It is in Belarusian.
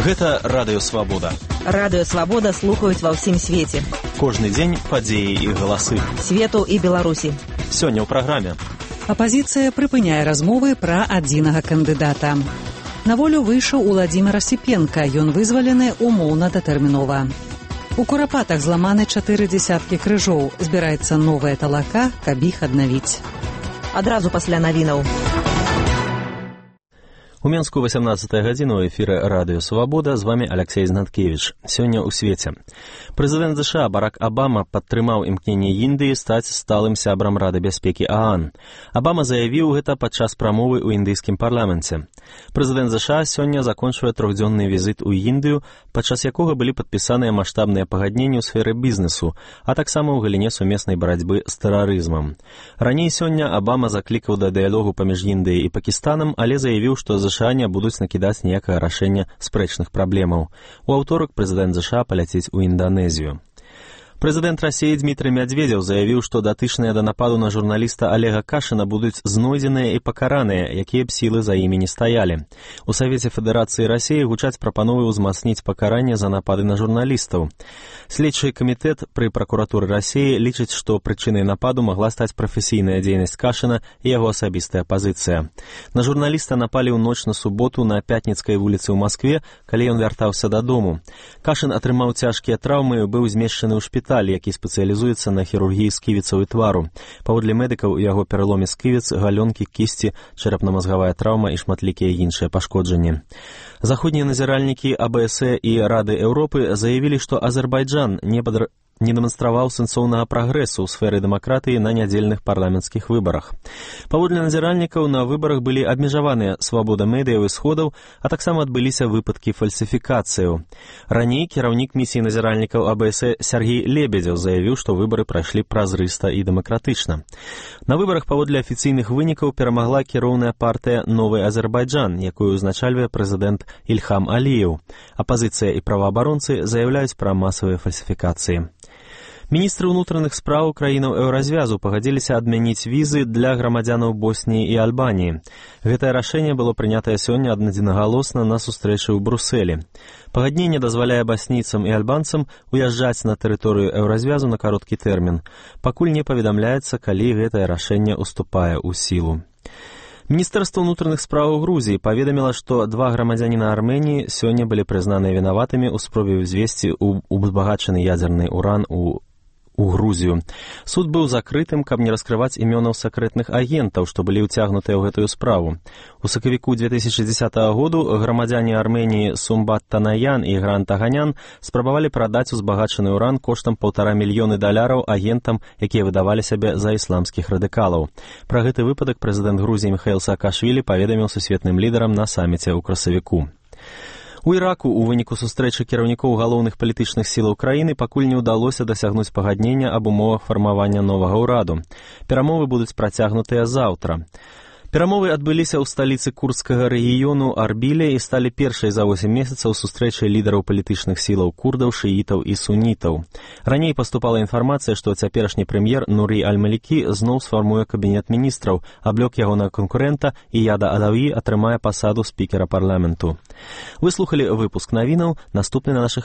Гэта Радыё Свабода. Радыё Свабода слухаюць ва ўсім свеце. Кожны дзень падзеі і галасы. Свету і Беларусі. Сёння ў праграме. Апазіцыя прыпыняе размовы пра адзінага кандыдата. На волю выйшаў Уладзімір Асіпенка, ён вызвалены умоўна-датэрмінова. У Курапатах зламаны 4 дзесяткі крыжоў. Збіраецца новая талака, каб іх аднавіць. Адразу пасля навінаў. У Менску 18 гадзіна ў эфіры Радыё Свабода, з вамі Алексей Знаткевіч. Сёння ў свеце. Прэзідэнт США Барак Абама падтрымаў імкненне Індыі стаць сталым сябрам Рады бяспекі ААН. Абама заявіў гэта падчас прамовы ў індыйскім парламенце. Прэзідэнт США сёння закончвае трохдзённы візіт у Індыю, падчас якога былі падпісаныя маштабныя пагадненні ў сферы бізнесу, а таксама ў галіне сумеснай барацьбы з тэрарызмам. Раней сёння Абама заклікаў да дыялогу паміж Індыяй і Пакістанам, але заявіў, што США не будуць накідаць ніякае рашэння спрэчных праблемаў. У аўторак прэзідэнт США паляціць у Інданезію. Прэзідэнт Расіі Дмітрый Мядзведзеў заявіў, што датычныя да нападу на журналіста Олега Кашына будуць знойдзеныя і пакараныя, якія б сілы за імі не стаялі. У Савеце Федэрацыі Расіі гучаць прапановы ўзмацніць пакаранне за напады на журналістаў. Следчы камітэт пры пракуратуры Расіі лічыць, што прычынай нападу магла стаць прафесійная дзейнасць Кашына і яго асабістая пазіцыя. На журналіста напалі ў ноч на суботу на Пятніцкай вуліцы ў Маскве, калі ён вяртаўся дадому. Кашын атрымаў цяжкія траўмы і быў змешчаны ў шпіталь, які спецыялізуецца на хірургіі сківіцаў і твару. Паводле медыкаў у яго пераломе сківіц, галёнкі, кісці, чэрапна-мазгавая траўма і шматлікія іншыя пашкоджанні. Заходнія назіральнікі АБС і Рады Еўропы заявілі, што Азербайджан не дэманстраваў сэнсоўнага прагрэсу ў сферы дэмакратыі на нядзельных парламенцкіх выбарах. Паводле назіральнікаў, на выбарах былі абмежаваныя свабода медыяў і сходаў, а таксама адбыліся выпадкі фальсіфікацыяў. Раней кіраўнік місіі назіральнікаў АБС Сергей Лебедзеў заявіў, што выбары прайшлі празрыста і дэмакратычна. На выбарах паводле афіцыйных вынікаў перамагла кіроўная партыя «Новы Азербайджан», якую ўзначальвае прэзідэнт Ільхам Аліеў. Апазіцыя і праваабаронцы заяўляюць пра масавыя фальсіфікацыі. Міністры ўнутраных спраў краінаў еўразвязу пагадзіліся адмяніць візы для грамадзянаў Босніі і Альбаніі. Гэтае рашэнне было прынятае сёння аднадзінагалосна на сустрэчы ў Брусэлі. Пагадненне дазваляе баснійцам і альбанцам уязджаць на тэрыторыю еўразвязу на кароткі тэрмін. Пакуль не паведамляецца, калі гэтае рашэнне ўступае ў сілу. Міністэрства ўнутраных спраў Грузіі паведаміла, што 2 грамадзяніна Арменіі сёння былі прызнаныя вінаватымі ў спробе ўзвесці узбагачаны ядзерны уран у Грузію. Суд быў закрытым, каб не раскрываць імёнаў сакрэтных агентаў, што былі ўцягнутыя ў гэтую справу. У сакавіку 2010 году грамадзяне Арменіі Сумбат Танаян і Грант Аганян спрабавалі прадаць узбагачаны ўран коштам $1,5 мільёны агентам, якія выдавалі сябе за ісламскіх радыкалаў. Пра гэты выпадак прэзідэнт Грузіі Міхаіл Саакашвілі паведаміў сусветным лідарам на саміце ў красавіку. У Іраку ў выніку сустрэчы кіраўнікоў галоўных палітычных сілаў краіны пакуль не ўдалося дасягнуць пагаднення аб умовах фармавання новага ўраду. Перамовы будуць працягнутыя заўтра. Перамовы адбыліся ў сталіцы курдскага рэгіёну Арбіле і сталі першай за 8 месяцаў сустрэчай лідараў палітычных сілаў курдаў, шыітаў і сунітаў. Раней паступала інфармацыя, што цяперашні прэм'ер Нурі Аль-Малікі зноў сфармуе кабінет міністраў, аблёк ягонага канкурэнта Ияда Адаві атрымае пасаду спікера парламенту. Вы слухалі выпуск навінаў, наступны на нашых